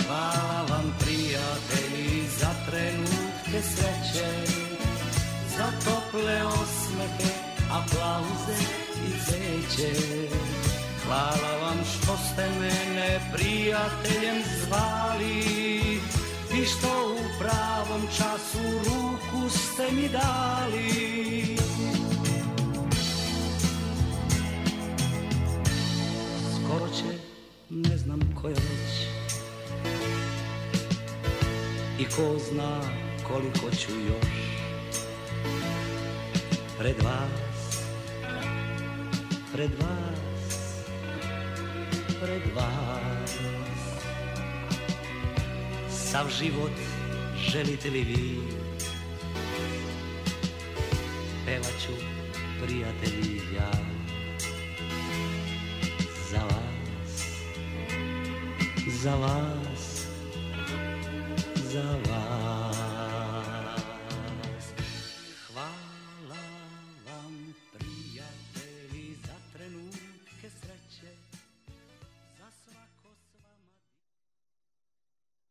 Hvala vam, prijatelji, za trenutke sreće, za tople osmehe, aplauze i cveće. Hvala vam što ste mene prijateljem zvali i što u pravom času ruku ste mi dali. Skoro će, ne znam koja već, i ko zna koliko ću još pred vas, pred vas, pred vas. Sav život želite li vi, pevat ću, prijatelji, ja za vas, za vas, za vas.